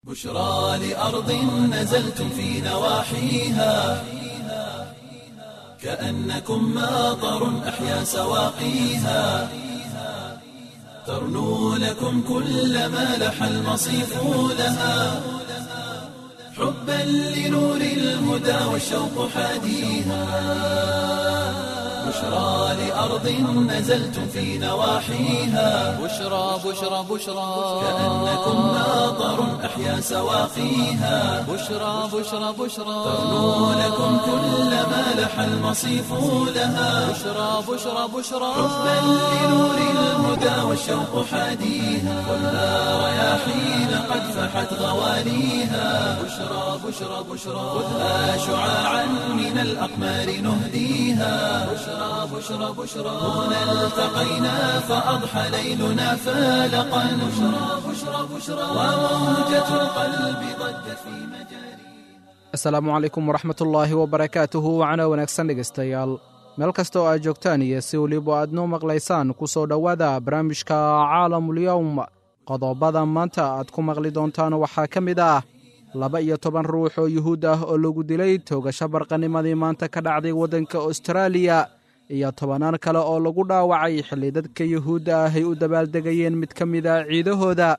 بشرى لأرض نزلتم في نواحيها، كأنكم ماطر أحيا سواقيها، ترنو لكم كل ما لح المصيف لها، حبا لنور الهدى والشوق حاديها، بشرى لأرض نزلتم في نواحيها، بشرى بشرى بشرى، كأنكم ماطر أحيا سواقيها، بشرى بشرى بشرى، ترنو لكم كل ما لح المصيف لها، بشرى بشرى بشرى، حبا لنور الهدى والشوق حاديها، خذها رياحين قد فحت غواليها، بشرى بشرى بشرى، خذها شعاعا من الأقمار نهديها، بشرى بشرى بشرى، هنا التقينا فأضحى ليلنا فالقا، بشرى بشرى بشرى، وموجة القلب ضجت في مجاريها. Asalaamu calaykum waraxmatullaahi wabarakaatuhu. Wacana wanaagsan dhegaystayaal, meel kasta oo aad joogtaan iyo si weliba aad noo maqlaysaan, ku soo dhowaada barnaamijka Caalamulyowm. Qodobada maanta aad ku maqli doontaan waxaa ka mid ah 12 ruux oo yuhuud ah oo lagu dilay toogasho barqanimadii maanta ka dhacday waddanka Austraaliya, iyo tobannaan kale oo lagu dhaawacay xilli dadka yuhuudda ah ay u dabaaldegayeen mid ka mid ah ciidahooda.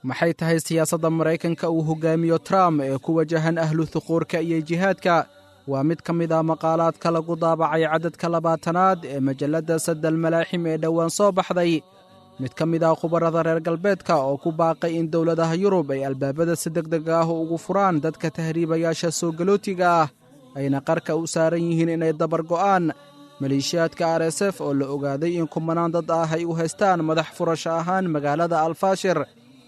Maxay tahay siyaasadda Maraykanka uu hogaamiyo Trump ee ku wajahan ahlu thuquurka iyo jihaadka? Waa mid ka mid ah maqaalaadka lagu daabacay cadadka 20aad ee majalladda Sadal Malaaxim ee dhowaan soo baxday. Mid ka mid ah khubarada reer galbeedka oo ku baaqay in dowladaha Yurub ay albaabada si deg deg ah ugu furaan dadka tahriibayaasha soo galootiga ah, ayna qarka u saaran yihiin inay dabar go'aan. Maleeshiyaadka RSF oo la ogaaday in kumanaan dad ah ay u haystaan madax furasho ahaan magaalada Alfaashir,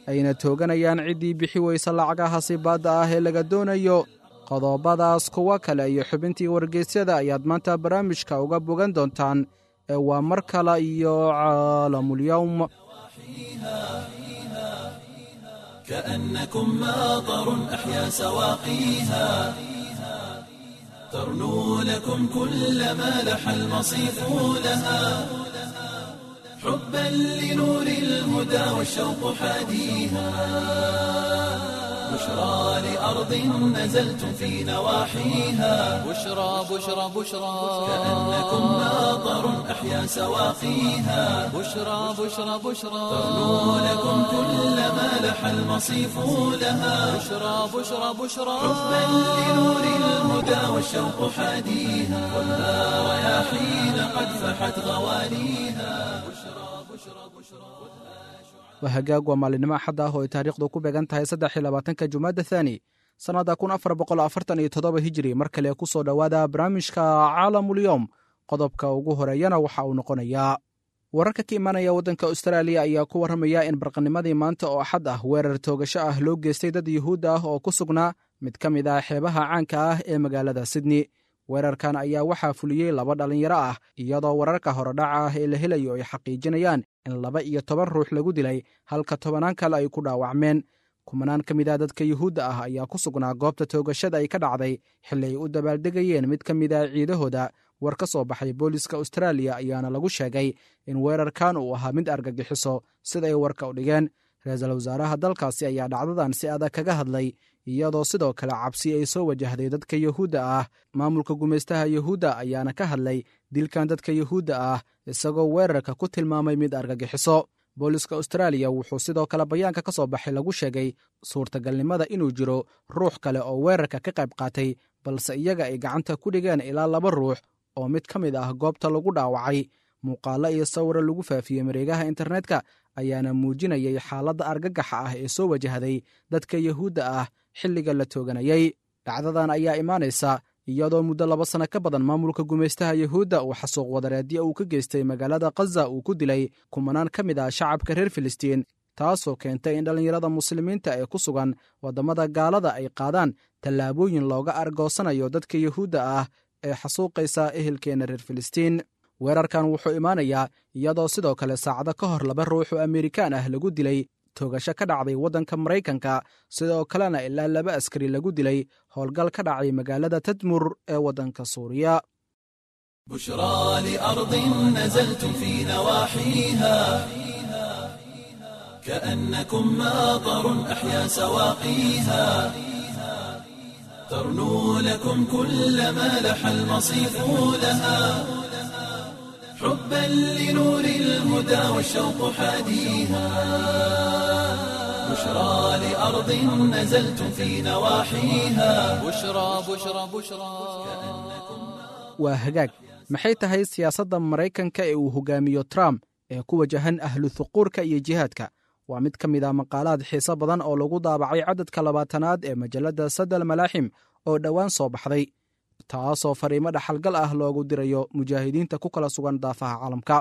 ayna tooganayaan ciddii bixi weysa lacagaha sibaadda ah ee laga doonayo. Qodobadaas, kuwo kale iyo xubintii wargeysyada ayaad maanta barnaamijka uga bogan doontaan ee waa mar kale iyo Caalamulyowm. كأنكم ماطر أحيا سواقيها، ترنو لكم كل ما لح المصيف لها، حبا لنور الهدى والشوق حاديها، بشرى لأرض نزلتم في نواحيها، بشرى بشرى بشرى، كأنكم ماطر أحيا سواقيها، بشرى بشرى بشرى، ترنو لكم كل ما لح المصيف لها، بشرى بشرى بشرى، حبا لنور الهدى والشوق حاديها، خذها رياحين قد فحت غواليها، بشرى بشرى بشرى. Waa hagaag, waa maalinimo Axad ah oo ay taariikhdu ku beegan tahay 23-ka Jumaada Thaani, sannadda 1447 Hijri. Mar kale ku soo dhowaada barnaamijka Caalamulyowm. Qodobka ugu horeeyana waxa uu noqonayaa wararka ka imanaya waddanka Austraaliya ayaa ku warramaya in barqanimadii maanta oo Axad ah weerar toogasho ah loo geystay dad yuhuud ah oo ku sugnaa mid ka mid ah xeebaha caanka ah ee magaalada Sydney. Weerarkan ayaa waxaa fuliyey laba dhallinyaro ah, iyadoo wararka horedhaca ah ee la helayo ay xaqiijinayaan in 12 ruux lagu dilay, halka tobanaan kale ay ku dhaawacmeen. Kumanaan ka mid ah dadka yuhuudda ah ayaa ku sugnaa goobta toogashada ay ka dhacday xilli ay u dabaaldegayeen mid ka mid ah ciidahooda. War ka soo baxay booliska Austraaliya ayaana lagu sheegay in weerarkan uu ahaa mid argagixiso, sida ay warka u dhigeen. Ra-iisul wasaaraha dalkaasi ayaa dhacdadan si adag kaga hadlay, iyadoo sidoo kale cabsi ay soo wajahday dadka yuhuudda ah. Maamulka gumaystaha yuhuudda ayaana ka hadlay dilkan dadka yuhuudda ah, isagoo weerarka ku tilmaamay mid argagixiso. Booliska Austraaliya wuxuu sidoo kale bayaanka ka soo baxay lagu sheegay suurtagalnimada inuu jiro ruux kale oo weerarka ka qayb qaatay, balse iyaga ay gacanta ku dhigeen ilaa laba ruux oo mid ka mid ah goobta lagu dhaawacay. Muuqaallo iyo sawiro lagu faafiyey mareegaha internetka ayaana muujinayay xaaladda argagaxa ah ee soo wajahday dadka yuhuudda ah xilliga la tooganayay. Dhacdadan ayaa imaanaysa iyadoo muddo 2 sano ka badan maamulka gumaystaha yuhuudda uu xasuuq wadareedyo uu ka geystay magaalada Khaza uu ku dilay kumanaan ka mid ah shacabka reer Filistiin, taasoo keentay in dhallinyarada muslimiinta ee ku sugan waddamada gaalada ay qaadaan tallaabooyin looga argoosanayo dadka yuhuudda ah ee xasuuqaysa ehelkeenna reer Filistiin. Weerarkan wuxuu imaanayaa iyadoo sidoo kale saacado ka hor laba ruux oo Amerikaan ah lagu dilay toogasho ka dhacday waddanka Maraykanka, sidoo kalena ilaa laba askari lagu dilay howlgal ka dhacay magaalada Tadmur ee waddanka Suuriya. بشرى لأرض نزلتم في نواحيها، كأنكم ماطر أحيا سواقيها ترنو لكم كل ما لح المصيف لها حبا لنور الهدى والشوق حاديها بشرى لأرض نزلتم في نواحيها بشرى بشرى بشرى. Waa hagaag, maxay tahay siyaasadda Maraykanka ee uu hogaamiyo Trump ee ku wajahan ahlu thuquurka iyo jihaadka? Waa mid ka mid ah maqaalaad xiise badan oo lagu daabacay cadadka 20aad ee majalladda Sadal Malaaxim oo dhowaan soo baxday, taasoo fariimo dhaxalgal ah loogu dirayo mujaahidiinta ku kala sugan daafaha caalamka.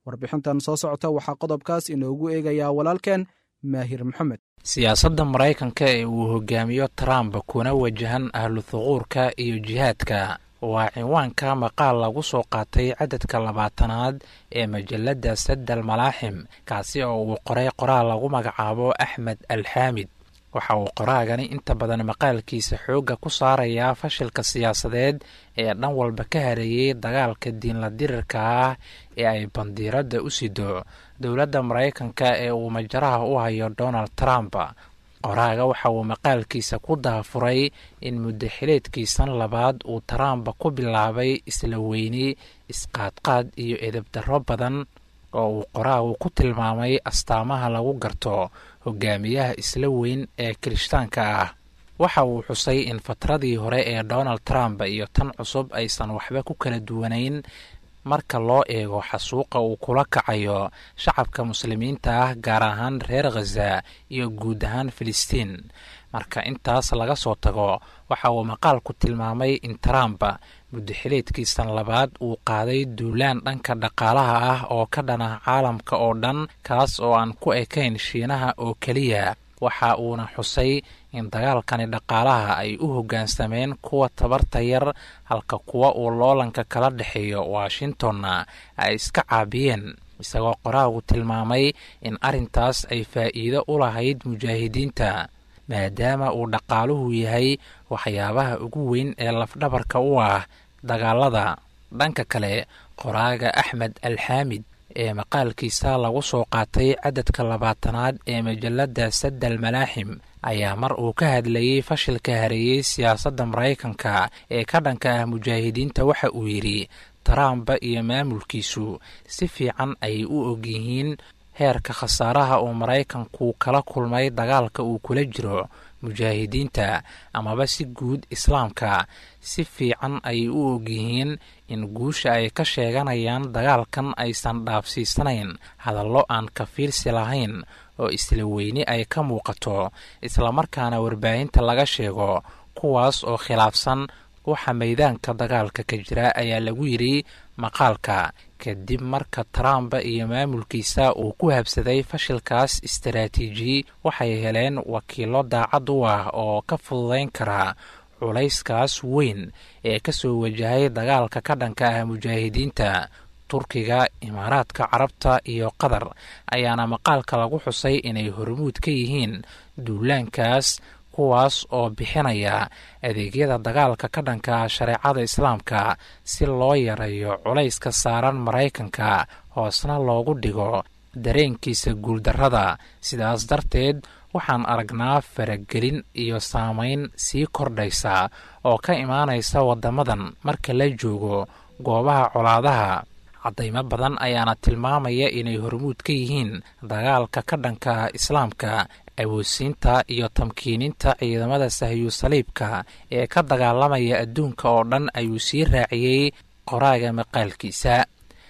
Warbixintan soo socota waxaa qodobkaas inoogu eegayaa walaalkeen Maahir Maxamed. Siyaasadda Maraykanka ee uu hogaamiyo Trump kuna wajahan ahlu thuquurka iyo jihaadka waa cinwaanka maqaal lagu soo qaatay cadadka 20aad ee majalladda Sadal Malaaxim, kaasi oo uu qoray qoraal lagu magacaabo Axmed Alxaamid. Waxa uu qoraagani inta badan maqaalkiisa xoogga ku saarayaa fashilka siyaasadeed ee dhan walba ka hareeyey dagaalka diinla dirirka ah ee ay bandiiradda u sido dowladda Maraykanka ee uu majaraha u hayo Donald Trump. Qoraaga waxa uu maqaalkiisa ku daafuray in muddaxileedkiisan labaad uu Trump ku bilaabay isla weyni, isqaadqaad iyo edebdarro badan oo uu qoraagu ku tilmaamay astaamaha lagu garto hogaamiyaha isla weyn ee kirishtaanka ah. Waxa uu xusay in fatradii hore ee Donald Trump iyo tan cusub aysan waxba ku kala duwanayn marka loo eego xasuuqa uu kula kacayo shacabka muslimiinta ah, gaar ahaan reer Khaza iyo guud ahaan Filistiin. Marka intaas laga soo tago, waxa uu maqaalku tilmaamay in Trump muddaxileedkiisan labaad uu qaaday duulaan dhanka dhaqaalaha ah oo ka dhan ah caalamka oo dhan, kaas oo aan ku ekayn Shiinaha oo keliya. Waxa uuna xusay in dagaalkani dhaqaalaha ay u hoggaansameen kuwa tabarta yar, halka kuwa uu loolanka kala dhexeeyo Washingtonna ay iska caabiyeen, isagoo qoraagu tilmaamay in arrintaas ay faa'iido u lahayd mujaahidiinta, maadaama uu dhaqaaluhu yahay waxyaabaha ugu weyn ee lafdhabarka u ah dagaalada. Dhanka kale, qoraaga Axmed Alxaamid ee maqaalkiisa lagu soo qaatay cadadka 20aad ee majalladda Sadal Malaaxim ayaa mar uu ka hadlayey fashilka hareeyey siyaasadda Maraykanka ee ka dhanka ah mujaahidiinta waxa uu yidhi: Trump iyo maamulkiisu si fiican ayay u ogyihiin heerka khasaaraha uu Maraykanku kala kulmay dagaalka uu kula jiro mujaahidiinta amaba si guud islaamka. Si fiican ayay u ogyihiin in guusha ay ka sheeganayaan dagaalkan aysan dhaafsiisanayn hadallo aan ka fiirsi lahayn oo isla weyni ay ka muuqato, islamarkaana warbaahinta laga sheego, kuwaas oo khilaafsan waxa maydaanka dagaalka ka jira, ayaa lagu yidhi maqaalka. Kadib marka Trump iyo maamulkiisa uu ku habsaday fashilkaas istaraatiiji, waxay heleen wakiilo daacad u ah oo ka fududayn kara culayskaas weyn ee kasoo wajahay dagaalka ka dhanka ah mujaahidiinta. Turkiga, Imaaraadka Carabta iyo Qatar ayaana maqaalka lagu xusay inay hormuud ka yihiin duulaankaas, kuwaas oo bixinaya adeegyada dagaalka ka dhanka ah shareecada islaamka si loo yareeyo culayska saaran Maraykanka, hoosna loogu dhigo dareenkiisa guuldarrada. Sidaas darteed waxaan aragnaa faragelin iyo saameyn sii kordhaysa oo ka imaanaysa waddamadan marka la joogo goobaha colaadaha. Caddaymo badan ayaana tilmaamaya inay hormuud ka yihiin dagaalka ka dhanka ah islaamka, awoodsiinta iyo tamkiininta ciidamada sahyu saliibka ee ka dagaalamaya adduunka oo dhan, ayuu sii raaciyey qoraaga maqaalkiisa.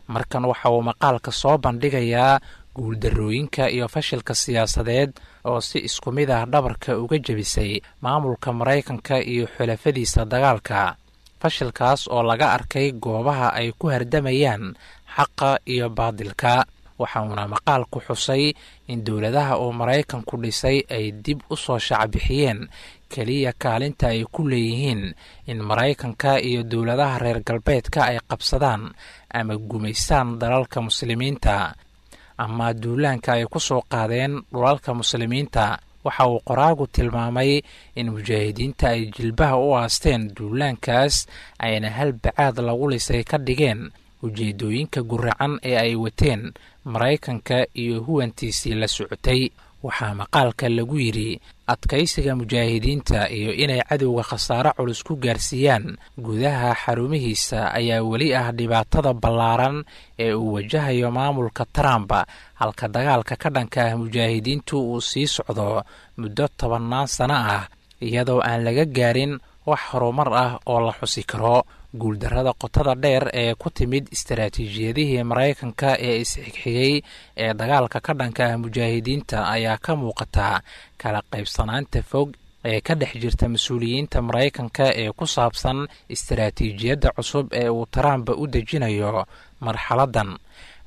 Markan waxa uu maqaalka soo bandhigayaa guuldarrooyinka iyo fashilka siyaasadeed oo si isku mid ah dhabarka uga jebisay maamulka Maraykanka iyo xulafadiisa dagaalka, fashilkaas oo laga arkay goobaha ay ku hardamayaan xaqa iyo baadilka. Waxa uuna maqaalku xusay in dowladaha uu Maraykanku dhisay ay dib u soo shacbixiyeen keliya kaalinta ay ku leeyihiin in Maraykanka iyo dowladaha reer galbeedka ay qabsadaan ama gumaystaan dalalka muslimiinta ama duulaanka ay ku soo qaadeen dhulalka muslimiinta. Waxa uu qoraagu tilmaamay in mujaahidiinta ay jilbaha u aasteen duulaankaas, ayna hal bacaad lagu lisay ka dhigeen ujeedooyinka guracan ee ay wateen Maraykanka iyo huwantiisii la socotay. Waxaa maqaalka lagu yidhi adkaysiga mujaahidiinta iyo inay cadowga khasaare culus ku gaarsiiyaan gudaha xarumihiisa ayaa weli ah dhibaatada ballaaran ee uu wajahayo maamulka Trump, halka dagaalka ka dhanka ah mujaahidiintu uu sii socdo muddo 10-naan sano ah, iyadoo aan laga gaarin wax horumar ah oo la xusi karo. Guuldarrada qotada dheer ee ku timid istaraatiijiyadihii Maraykanka ee isxigxigay ee dagaalka ka dhanka ah mujaahidiinta ayaa ka muuqata kala qaybsanaanta fog ee ka dhex jirta mas-uuliyiinta Maraykanka ee ku saabsan istaraatiijiyadda cusub ee uu Trump u dejinayo marxaladdan.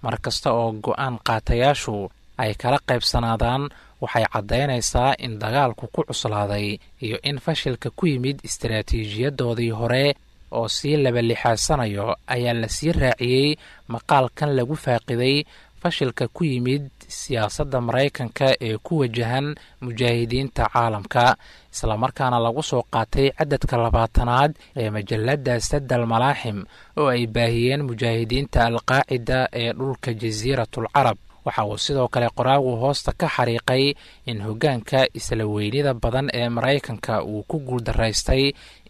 Mar kasta oo go-aan qaatayaashu ay kala qaybsanaadaan, waxay caddaynaysaa in dagaalku ku cuslaaday iyo in fashilka ku yimid istaraatiijiyadoodii hore oo sii labalixaasanayo, ayaa la sii raaciyey maqaalkan lagu faaqiday fashilka ku yimid siyaasadda Maraykanka ee ku wajahan mujaahidiinta caalamka, islamarkaana lagu soo qaatay cadadka 20aad ee majalladda Sadal Malaaxim oo ay baahiyeen mujaahidiinta Alqaacida ee dhulka Jasiiratul Carab. Waxa uu sidoo kale qoraagu hoosta ka xariiqay in hoggaanka isla weynida badan ee Maraykanka uu ku guuldaraystay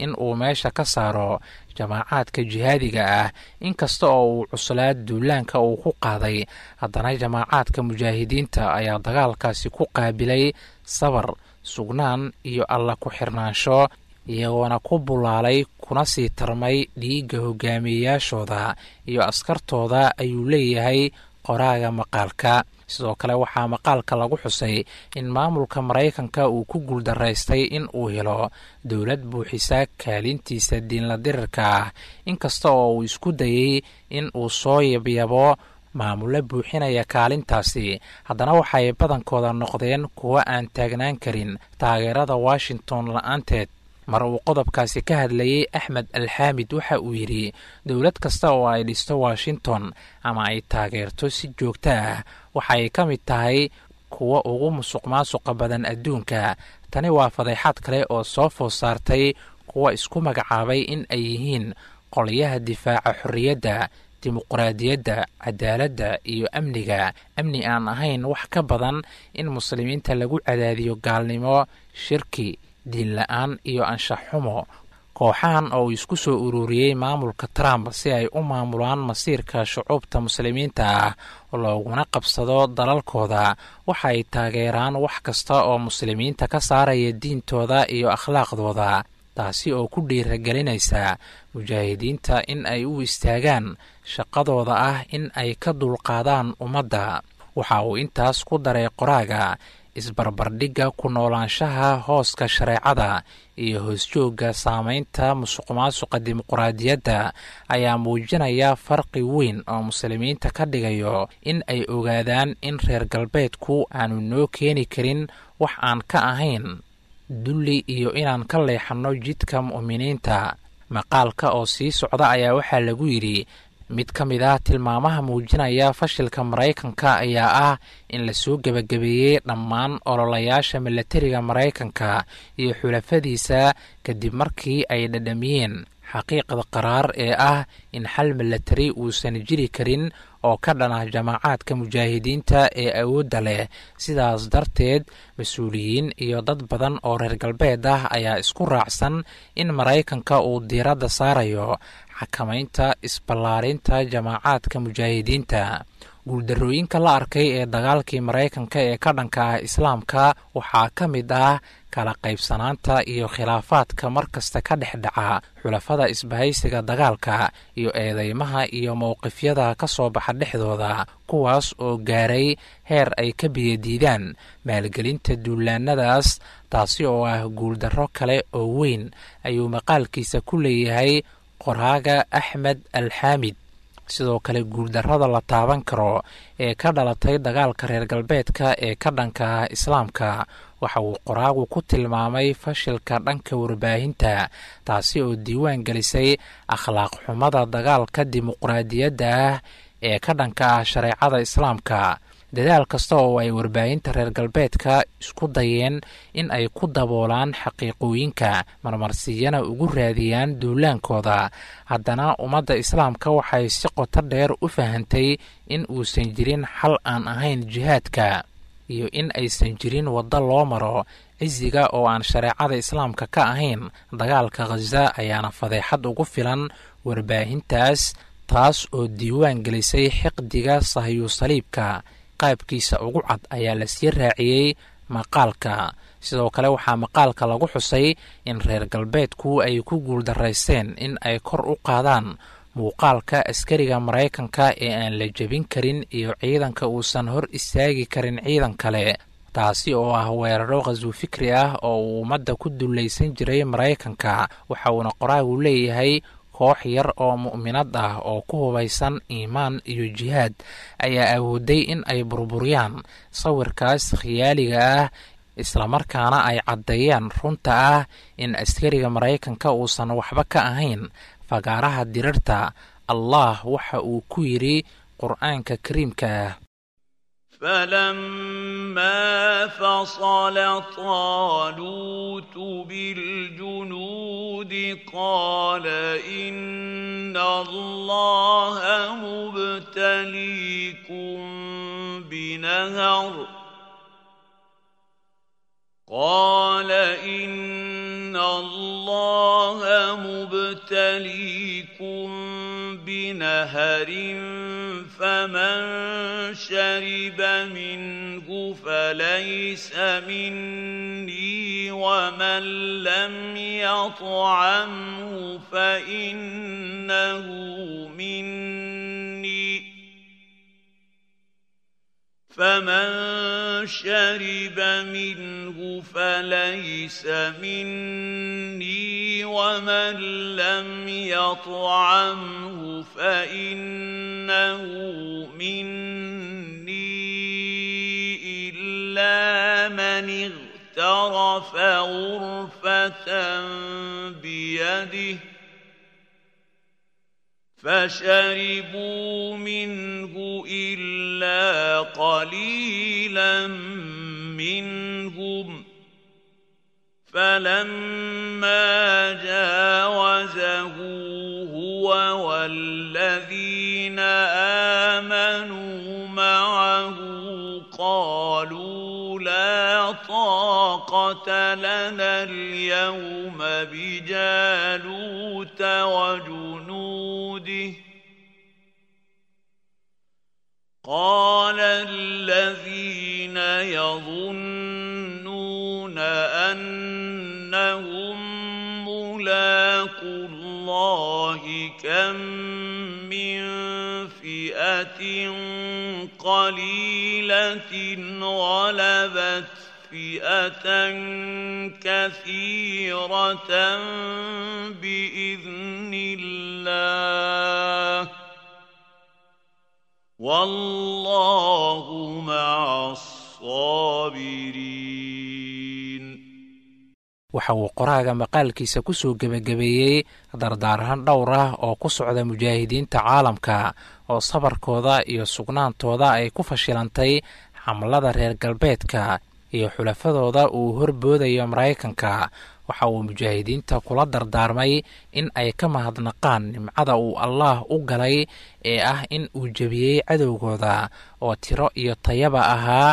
in uu meesha ka saaro jamaacaadka jihaadiga ah. Inkasta oo uu cuslaa duulaanka uu ku qaaday, haddana jamaacaadka mujaahidiinta ayaa dagaalkaasi ku qaabilay sabar, sugnaan iyo alla ku xirnaansho, iyagoona ku bulaalay kuna sii tarmay dhiigga hogaamiyeyaashooda iyo askartooda, ayuu leeyahay qoraaga maqaalka. Sidoo kale waxaa maqaalka lagu xusay in maamulka Maraykanka uu ku guuldaraystay in uu helo dowlad buuxisa kaalintiisa diinla dirirka ah, inkasta oo uu isku dayey in uu soo yabyabo maamulo buuxinaya kaalintaasi, haddana waxay badankooda noqdeen kuwo aan taagnaan karin taageerada Washington la-aanteed. Mar uu qodobkaasi ka hadlayey Axmed Alxaamid waxa uu yidhi: dowlad kasta oo ay dhisto Washington ama ay taageerto si joogto ah waxay ka mid tahay kuwa ugu musuq maasuqa badan adduunka. Tani waa fadeexaad kale oo soo food saartay kuwa isku magacaabay in ay yihiin qolyaha difaaca xorriyadda, dimuqraadiyadda, cadaaladda iyo amniga, amni aan ahayn wax ka badan in muslimiinta lagu cadaadiyo gaalnimo, shirki, diin la-aan iyo anshax xumo. Kooxahan oo uu isku soo ururiyey maamulka Trump si ay u maamulaan masiirka shucuubta muslimiinta ah looguna qabsado dalalkooda, waxay taageeraan wax kasta oo muslimiinta ka saaraya diintooda iyo akhlaaqdooda, taasi oo ku dhiiragelinaysa mujaahidiinta in ay u istaagaan shaqadooda ah in ay ka dulqaadaan ummadda. Waxa uu intaas ku daray qoraaga: isbarbardhigga ku noolaanshaha hooska shareecada iyo hoosjoogga saameynta musuqmaasuqa dimuqraadiyadda ayaa muujinaya farqi weyn oo muslimiinta ka dhigayo in ay ogaadaan in reer galbeedku aanu noo keeni karin wax aan ka ahayn dulli iyo inaan ka leexanno jidka mu'miniinta. Maqaalka oo sii socda ayaa waxaa lagu yidhi: mid ka mid ah tilmaamaha muujinaya fashilka Maraykanka ayaa ah in lasoo gebagabeeyey dhammaan ololayaasha milatariga Maraykanka iyo xulafadiisa, kadib markii ay dhadhamiyeen xaqiiqda qaraar ee ah in xal milatari uusan jiri karin oo ka dhan ah jamaacaadka mujaahidiinta ee awoodda leh. Sidaas darteed, mas-uuliyiin iyo dad badan oo reer galbeed ah ayaa isku raacsan in Maraykanka uu diiradda saarayo xakamaynta isballaarinta jamaacaadka mujaahidiinta. Guuldarrooyinka la arkay ee dagaalkii Maraykanka ee ka dhanka ah islaamka waxaa ka mid ah kala qaybsanaanta iyo khilaafaadka mar kasta ka dhex dhaca xulafada isbahaysiga dagaalka, iyo eedeymaha iyo mowqifyada ka soo baxa dhexdooda, kuwaas oo gaaray heer ay ka biyadiidaan maalgelinta duulaanadaas, taasi oo ah guuldarro kale oo weyn, ayuu maqaalkiisa ku leeyahay qoraaga Axmed Alxaamid. Sidoo kale guuldarrada la taaban karo ee ka dhalatay dagaalka reer galbeedka ee ka dhanka ah islaamka waxa uu qoraagu ku tilmaamay fashilka dhanka warbaahinta, taasi oo diiwaan gelisay akhlaaq xumada dagaalka dimuqraadiyadda ah ee ka dhanka ah shareecada islaamka. Dadaal kasta oo ay warbaahinta reer galbeedka isku dayeen in ay ku daboolaan xaqiiqooyinka, marmarsiyana ugu raadiyaan duulaankooda, haddana ummadda islaamka waxay si qoto dheer u fahantay in uusan jirin xal aan ahayn jihaadka. iyo in aysan jirin waddo loo maro cisiga oo aan shareecada islaamka ka ahayn. Dagaalka Khaza ayaana fadeexad ugu filan warbaahintaas, taas oo diiwaan gelisay xiqdiga sahyuusaliibka qaabkiisa ugu cad, ayaa lasii raaciyey maqaalka. Sidoo kale waxaa maqaalka lagu xusay in reer galbeedku ay ku guuldaraysteen in ay kor u qaadaan muuqaalka askariga Maraykanka ee aan la jebin karin iyo ciidanka uusan hor istaagi karin ciidan kale, taasi oo ah weeraro khaswu fikri ah oo uu ummadda ku dullaysan jiray Maraykanka. Waxa uuna qoraagu leeyahay koox yar oo mu'minad ah oo ku hubaysan iimaan iyo jihaad ayaa awooday in ay burburiyaan sawirkaas khiyaaliga ah, islamarkaana ay caddeeyaan runta ah in askariga Maraykanka uusan waxba ka ahayn fagaaraha dirirta. Allah waxa uu ku yidhi Qur'aanka Kariimka ah: فلما فصل طالوت بالجنود قال إن الله مبتليكم بنهر، قال إن الله مبتليكم بنهر، فمن شرب منه فليس مني، ومن لم يطعمه فإنه مني، فمن شرب منه فليس مني، ومن لم يطعمه فإنه مني، إلا من اغترف غرفة بيده، فشربوا منه إلا قليلا منهم، فلما جاوزه هو والذين آمنوا معه قالوا لا طاقة لنا اليوم بجالوت وجنوده، قال الذين يظنون أنهم ملاقو الله كم من فئة قليلة غلبت فئة كثيرة بإذن الله، والله مع الصابرين. Waxa uu qoraaga maqaalkiisa ku soo gebagabeeyey dardaarahan dhowr ah oo ku socda mujaahidiinta caalamka oo sabarkooda iyo sugnaantooda ay ku fashilantay xamlada reer galbeedka iyo xulafadooda uu horboodayo Maraykanka. Waxa uu mujaahidiinta kula dardaarmay in ay ka mahadnaqaan nimcada uu Allaah u galay ee ah in uu jebiyey cadowgooda oo tiro iyo tayaba ahaa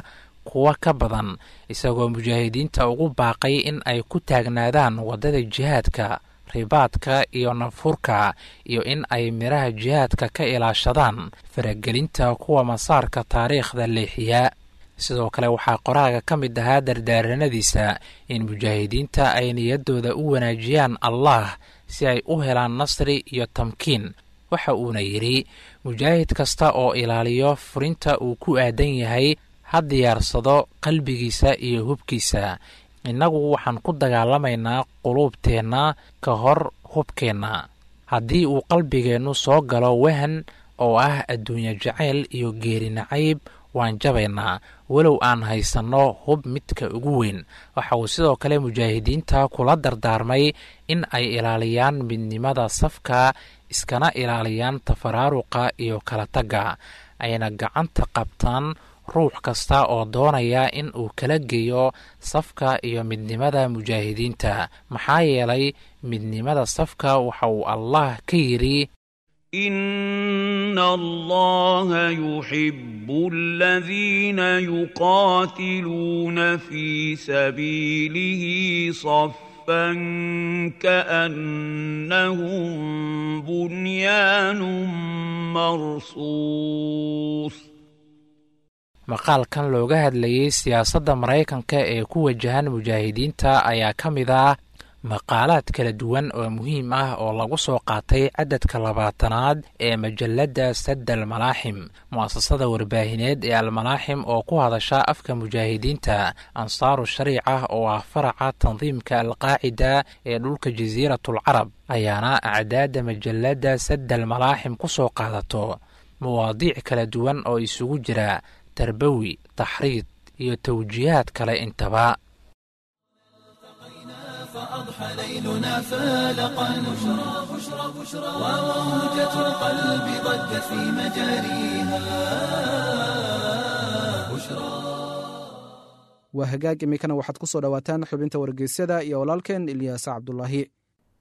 kuwa ka badan, isagoo mujaahidiinta ugu baaqay in ay ku taagnaadaan waddada jihaadka, ribaadka iyo nafurka, iyo in ay midhaha jihaadka ka ilaashadaan faragelinta kuwa masaarka taariikhda leexiya. Sidoo kale waxaa qoraaga ka mid ahaa dardaaranadiisa in mujaahidiinta ay niyaddooda u wanaajiyaan Allah si ay u helaan nasri iyo tamkiin. Waxa uuna yidhi mujaahid kasta oo ilaaliyo furinta uu ku aadan yahay ha diyaarsado qalbigiisa iyo hubkiisa. Innagu waxaan ku dagaalamaynaa quluubteenna ka hor hubkeenna. Haddii uu qalbigeennu soo galo wahan oo ah adduunyo jacayl iyo geeri nacayb, waan jabaynaa walow aan haysanno hub midka ugu weyn. Waxa uu sidoo kale mujaahidiinta kula dardaarmay in ay ilaaliyaan midnimada safka, iskana ilaaliyaan tafaraaruqa iyo kala tagga, ayna gacanta qabtaan ruux kasta oo doonaya in uu kala geeyo safka iyo midnimada mujaahidiinta, maxaa yeelay midnimada safka waxa uu Allah ka yidhi: إن الله يحب الذين يقاتلون في سبيله صفا كأنهم بنيان مرصوص. Maqaalkan looga hadlayey siyaasadda Maraykanka ee ku wajahan mujaahidiinta ayaa ka mid ah maqaalaad kala duwan oo muhiim ah oo lagu soo qaatay cadadka 20aad ee majalladda Sadda Almalaaxim, mu'asasada warbaahineed ee Almalaaxim oo ku hadasha afka mujaahidiinta Ansaaru Shariica oo ah faraca tandiimka Alqaacida ee dhulka Jasiiratul Carab, ayaana acdaadda majalladda Sadda Almalaaxim ku soo qaadato mawaadiic kala duwan oo isugu jira tarbawi, taxriid iyo tawjiihaad kale intaba. فأضحى ليلنا فالقا بشرى بشرى بشرى وموجة القلب ضجت في مجاريها بشرى. Waa hagaag, iminkana waxaad ku soo dhowaataan xubinta wargeysyada iyo walaalkeen Ilyaas Cabdulaahi.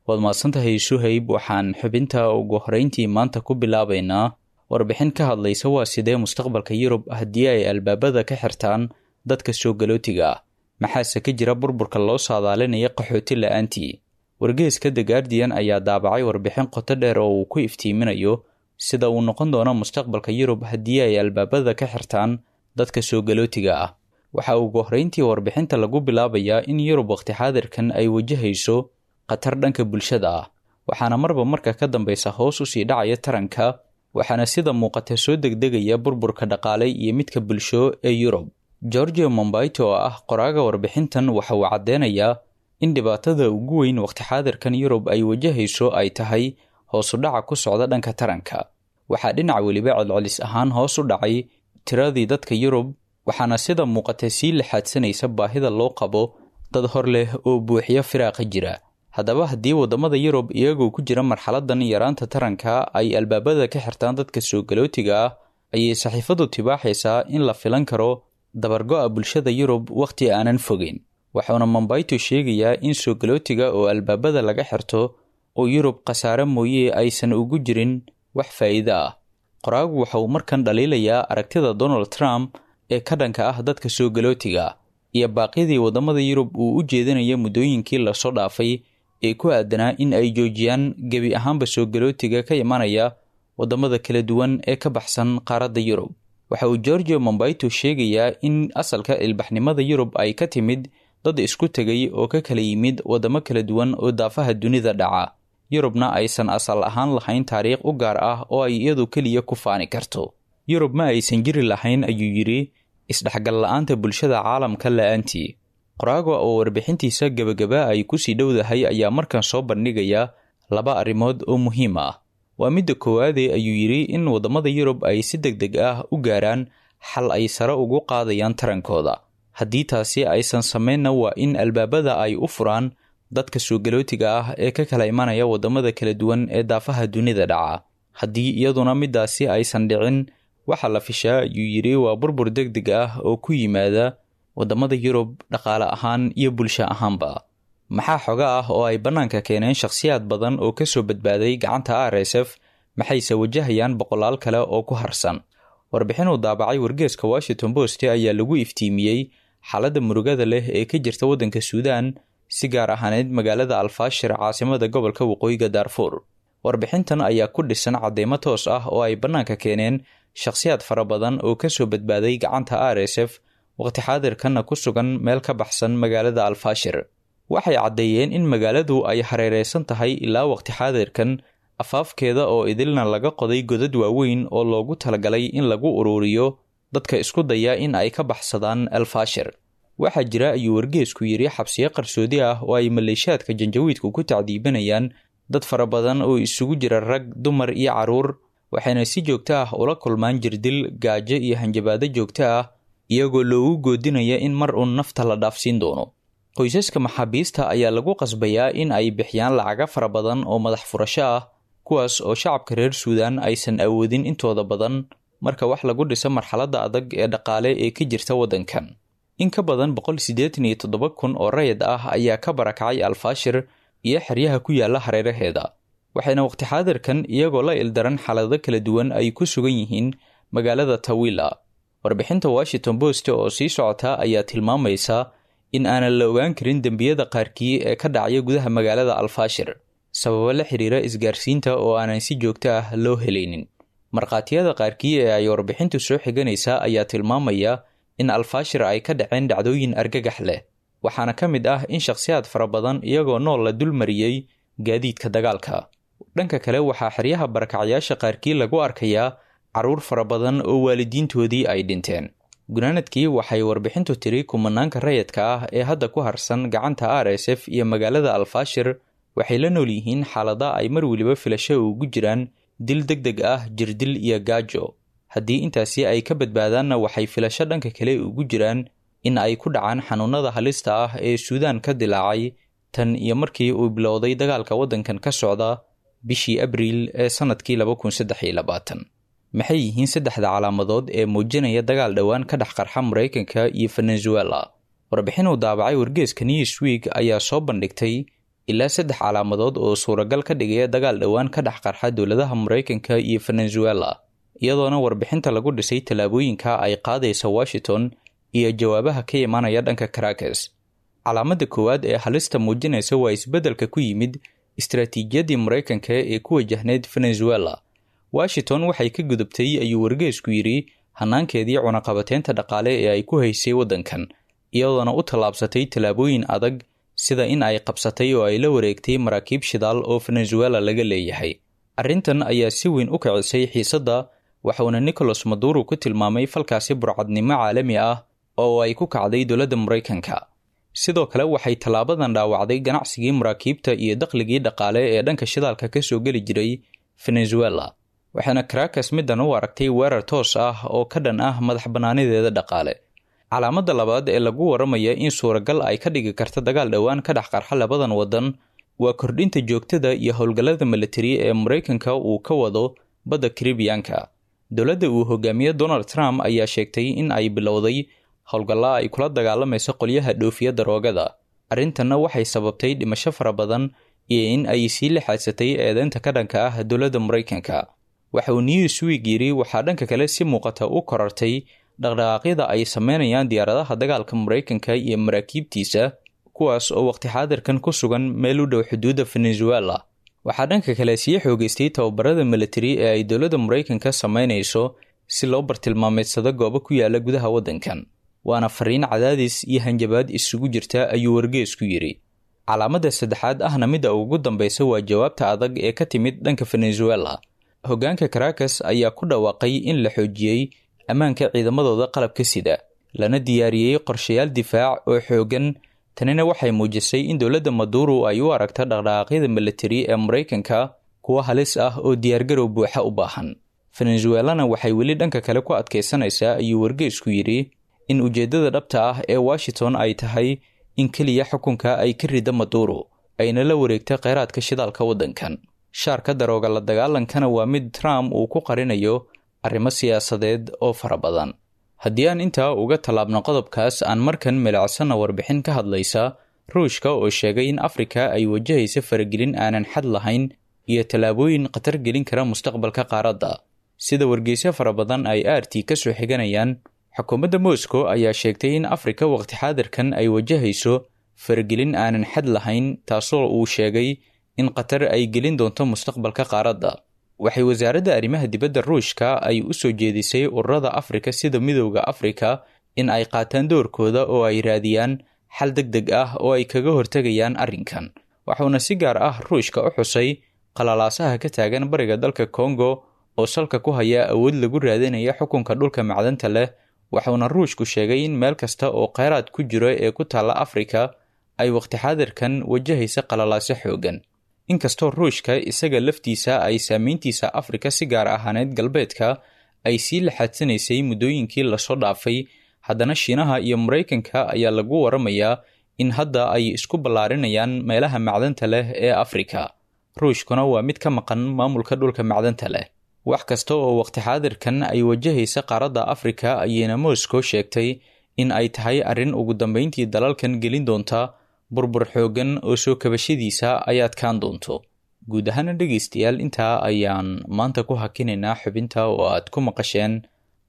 Waad mahadsantahay, Suhayb. Waxaan xubinta ugu horeyntii maanta ku bilaabaynaa warbixin ka hadlaysa waa sidee mustaqbalka Yurub haddii ay albaabada ka xirtaan dadka soo galootiga ah, maxaase ka jira burburka loo saadaalinaya qaxooti la-aantii? Wargeeska The Guardian ayaa daabacay warbixin qoto dheer oo uu ku iftiiminayo sida uu noqon doono mustaqbalka Yurub haddii ay albaabada ka xirtaan dadka soo galootiga ah. Waxa ugu horreyntii warbixinta lagu bilaabayaa in Yurub waqti xaadirkan ay wajahayso khatar dhanka bulshada ah, waxaana marba marka ka dambeysa hoos usii dhacaya taranka, waxaana sida muuqata soo degdegaya burburka dhaqaale iyo midka bulsho ee Yurub. Georgio Mombaito oo ah qoraaga warbixintan waxa uu caddeynayaa in dhibaatada ugu weyn waqti xaadirkan Yurub ay wajahayso ay tahay hoos u dhaca ku socda dhanka taranka. Waxaa dhinac weliba celcelis ahaan hoos u dhacay tiradii dadka Yurub, waxaana sida muuqata sii laxaadsanaysa baahida loo qabo dad hor leh oo buuxiya firaaqa jira. Haddaba haddii waddamada Yurub iyagoo ku jira marxaladan yaraanta taranka ay albaabada ka xirtaan dadka soo galootiga ah, ayay saxiifadu tibaaxaysaa in la filan karo dabargo-a bulshada Yurub wakhti aanan fogeyn. Waxauna Mombayto sheegayaa in soo galootiga oo albaabada laga xirto oo Yurub khasaare mooye aysan ugu jirin wax faa'iido ah. Qoraagu waxa uu markan dhaliilayaa aragtida Donald Trump ee ka dhanka ah dadka soo galootiga iyo baaqyadii waddamada Yurub uu u jeedinaya muddooyinkii lasoo dhaafay ee ku aadanaa in ay joojiyaan gebi ahaanba soo galootiga ka imanaya waddamada kala duwan ee ka baxsan qaaradda Yurub. Waxa uu Georgio Mombaito sheegayaa in asalka ilbaxnimada Yurub ay ka timid dad isku tegay oo ka kala yimid waddamo kala duwan oo daafaha dunida dhaca, Yurubna aysan asal ahaan lahayn taariikh u gaar ah oo ay iyadu keliya ku faani karto. Yurub ma aysan jiri lahayn, ayuu yidhi, isdhexgal la-aanta bulshada caalamka la-aantii. Qoraaga oo warbixintiisa gebagaba ay kusii dhowdahay ayaa markan soo bandhigaya laba arrimood oo muhiim ah. Waa midda koowaade, ayuu yidhi, in waddamada Yurub ay si deg deg ah u gaaraan xal ay sare ugu qaadayaan tarankooda. Haddii taasi aysan samaynna, waa in albaabada ay u furaan dadka soo galootiga ah ee ka kala imanaya waddamada kala duwan ee daafaha dunida dhaca. Haddii iyaduna middaasi aysan dhicin, waxaa la fishaa, ayuu yidhi, waa burbur deg deg ah oo ku yimaada waddamada Yurub dhaqaale ahaan iyo bulsho ahaanba. Maxaa xoga ah oo ay bannaanka keeneen shakhsiyaad badan oo ka soo badbaaday gacanta RSF, maxayse wajahayaan boqolaal kale oo ku harsan? Warbixin uu daabacay wargeeska Washington Post ayaa lagu iftiimiyey xaaladda murugada leh ee ka jirta waddanka Suudaan, si gaar ahaaneed magaalada Alfaashir, caasimada gobolka Waqooyiga Daarfuur. Warbixintan ayaa ku dhisan cadeymo toos ah oo ay bannaanka keeneen shakhsiyaad fara badan oo ka soo badbaaday gacanta RSF, waqti xaadirkanna ku sugan meel ka baxsan magaalada Alfaashir. Waxay caddeeyeen in magaaladu ay hareereysan tahay ilaa waqti xaadirkan, afaafkeeda oo idilna laga qoday godad waaweyn oo loogu talagalay in lagu uruuriyo dadka isku daya in ay ka baxsadaan Alfaashir. Waxaa jira, ayuu wargeesku yidhi, xabsiyo qarsoodi ah oo ay maleeshiyaadka janjawiidku ku tacdiibinayaan dad fara badan oo isugu jira rag, dumar iyo carruur, waxayna si joogto ah ula kulmaan jirdil, gaajo iyo hanjabaado joogto ah, iyagoo loogu goodinaya in mar uun nafta la dhaafsiin doono. Qoysaska maxaabiista ayaa lagu qasbayaa in ay bixiyaan lacaga fara badan oo madax furasho ah, kuwaas oo shacabka reer Suudaan aysan awoodin intooda badan marka wax lagu dhiso marxaladda adag ee dhaqaale ee ka jirta waddankan. In ka badan 187,000 oo rayid ah ayaa ka barakacay Alfaashir iyo xeryaha ku yaala hareeraheeda. Waxayna waqti xaadirkan iyagoo la ildaran xaalado kala duwan ay ku sugan yihiin magaalada Tawila. Warbixinta Washington Post oo sii socota ayaa tilmaamaysa in aanan la ogaan karin dembiyada qaarkii ee ka dhacaya gudaha magaalada Alfaashir, sababo la xiriira isgaarsiinta oo aanan si joogto ah loo helaynin. Markhaatiyada qaarkii ee ay warbixintu soo xiganaysa ayaa tilmaamaya in Alfaashir ay ka dhaceen dhacdooyin argagax leh, waxaana ka mid ah in shakhsiyaad fara badan iyagoo nool la dulmariyey gaadiidka dagaalka. Dhanka kale, waxaa xeryaha barakacyaasha qaarkii lagu arkayaa carruur fara badan oo waalidiintoodii ay dhinteen. Gunaanadkii, waxay warbixintu tiri kumanaanka rayadka ah ee hadda ku harsan gacanta RSF iyo magaalada Alfaashir waxay la nool yihiin xaalada ay mar weliba filasho ugu jiraan dil deg deg ah, jirdil iyo gaajo. Haddii intaasi ay ka badbaadaanna, waxay filasho dhanka kale ugu jiraan in ay ku dhacaan xanuunada halista ah ee Suudaan ka dilaacay tan iyo markii uu bilowday dagaalka waddankan ka socda bishii Abriil ee sannadkii 2023. Maxay yihiin saddexda calaamadood ee muujinaya dagaal dhowaan ka dhex qarxa Maraykanka iyo Venezuela? Warbixin uu daabacay wargeeska Newsweek ayaa soo bandhigtay ilaa saddex calaamadood oo suuragal ka dhigaya dagaal dhowaan ka dhex qarxa dowladaha Maraykanka iyo Venezuela, iyadoona warbixinta lagu dhisay tallaabooyinka ay qaadaysa Washington iyo jawaabaha ka imaanaya dhanka Caracas. Calaamadda koowaad ee halista muujinaysa waa isbeddelka ku yimid istaraatiijiyaddii Maraykanka ee ku wajahneyd Venezuela. Washington waxay ka gudubtay, ayuu wargeesku yidhi, hanaankeedii cunaqabateynta dhaqaale ee ay ku haysay waddankan, iyadoona u tallaabsatay tallaabooyin adag, sida in ay qabsatay oo ay la wareegtay maraakiib shidaal oo Venezuela laga leeyahay. Arrintan ayaa si weyn u kicisay xiisadda, waxauna Nicolas Maduro ku tilmaamay falkaasi burcadnimo caalami ah oo ay ku kacday dowladda Maraykanka. Sidoo kale, waxay tallaabadan dhaawacday ganacsigii maraakiibta iyo dakhligii dhaqaale ee dhanka shidaalka ka soo geli jiray Venezuela, waxaana Caracas middan u aragtay weerar toos ah oo ka dhan ah madax bannaanideeda dhaqaale. Calaamadda labaad ee lagu waramaya in suuragal ay ka dhigi karta dagaal dhowaan ka dhex qarxa labadan waddan waa kordhinta joogtada iyo howlgallada militari ee Maraykanka uu ka wado badda Karibiyanka. Dowladda uu hogaamiye Donald Trump ayaa sheegtay in ay bilowday howlgalla ay kula dagaalamayso qolyaha dhoofiya daroogada. Arrintanna waxay sababtay dhimasho fara badan iyo in ay sii lixaadsatay eedeynta ka dhanka ah dowladda Maraykanka. Waxa uu Newsweek yidhi waxaa dhanka kale si muuqata u korartay dhaqdhaqaaqyada ay sameynayaan diyaaradaha dagaalka Maraykanka iyo maraakiibtiisa, kuwaas oo waqti xaadirkan ku sugan meel u dhow xuduudda Venezuela. Waxaa dhanka kale sii xoogeystay tababarada militari ee ay dowladda Maraykanka sameynayso si loo bartilmaameedsado goobo ku yaala gudaha waddankan, waana fariin cadaadis iyo hanjabaad isugu jirta, ayuu wargeesku yidhi. Calaamadda saddexaad, ahna midda ugu dambaysa, waa jawaabta adag ee ka timid dhanka Venezuela. Hoggaanka Caracas ayaa ku dhawaaqay in la xoojiyey ammaanka ciidamadooda qalabka sida, lana diyaariyey qorshayaal difaac oo xooggan. Tanina waxay muujisay in dowladda Maduro ay u aragto dhaqdhaqaaqyada militari ee Maraykanka kuwo halis ah oo diyaargarow buuxa u baahan. Venezuelana waxay weli dhanka kale ku adkaysanaysaa, ayuu wargeysku yidhi, in ujeeddada dhabta ah ee Washington ay tahay in keliya xukunka ay ka ridda Maduro ayna la wareegta kheyraadka shidaalka waddankan. Shaarka darooga la dagaalankana waa mid Trump uu ku qarinayo arrimo siyaasadeed oo fara badan. Haddii aan intaa uga tallaabno qodobkaas, aan markan milicsana warbixin ka hadlaysa Ruushka oo sheegay in Afrika ay wajahaysa faragelin aanan xad lahayn iyo tallaabooyin khatar gelin kara mustaqbalka qaaradda. Sida wargeysyo fara badan ay RT ka soo xiganayaan, xukuumadda Moscow ayaa sheegtay in Afrika waqti xaadirkan ay wajahayso faragelin aanan xad lahayn, taasoo uu sheegay in khatar ay gelin doonto mustaqbalka qaaradda. Waxay wasaaradda arrimaha dibadda Ruushka ay u soo jeedisay ururada Afrika sida Midowda Afrika in ay qaataan doorkooda oo ay raadiyaan xal deg deg ah oo ay kaga hortegayaan arrinkan. Waxuuna si gaar ah Ruushka u xusay qalalaasaha ka taagan bariga dalka Kongo oo salka ku haya awood lagu raadinaya xukunka dhulka macdanta leh. Waxuuna Ruushku sheegay in meel kasta oo kheyraad ku jiro ee ku taalla Afrika ay waqti xaadirkan wajahaysa qalalaase xooggan. Inkastoo Ruushka isaga laftiisa ay saameyntiisa Afrika, si gaar ahaaneed galbeedka, ay sii laxaadsanaysay muddooyinkii lasoo dhaafay, haddana Shiinaha iyo Maraykanka ayaa lagu waramayaa in hadda ay isku ballaarinayaan meelaha macdanta leh ee Afrika. Ruushkuna waa mid ka maqan maamulka dhulka macdanta leh. Wax kasta oo waqti xaadirkan ay wajahaysa qaaradda Afrika ayayna Moscow sheegtay in ay tahay arrin ugu dambeyntii dalalkan gelin doonta burbur xooggan oo soo kabashadiisa ay adkaan doonto. Guud ahaana dhegaystayaal, intaa ayaan maanta ku hakinaynaa xubinta oo aad ku maqasheen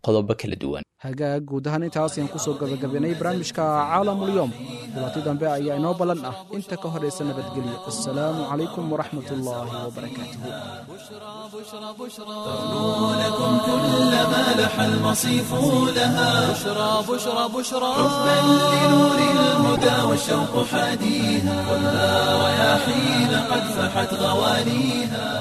qodobo kala duwan. Hagaag, guud ahaan intaas ayaan kusoo gabagabaynay barnaamijka Caalamulyoom. Kulanti dambe ayaa inoo ballan ah, inta ka horaysa nabadgelyo. Assalaamu calaykum waraxmat ullaahi wabarakaatuhu. لكم كل ما لح المصيف لها. بشرى بشرى بشرى. حبا لنور الهدى والشوق حاديها، والنار رياحين قد فحت غواليها.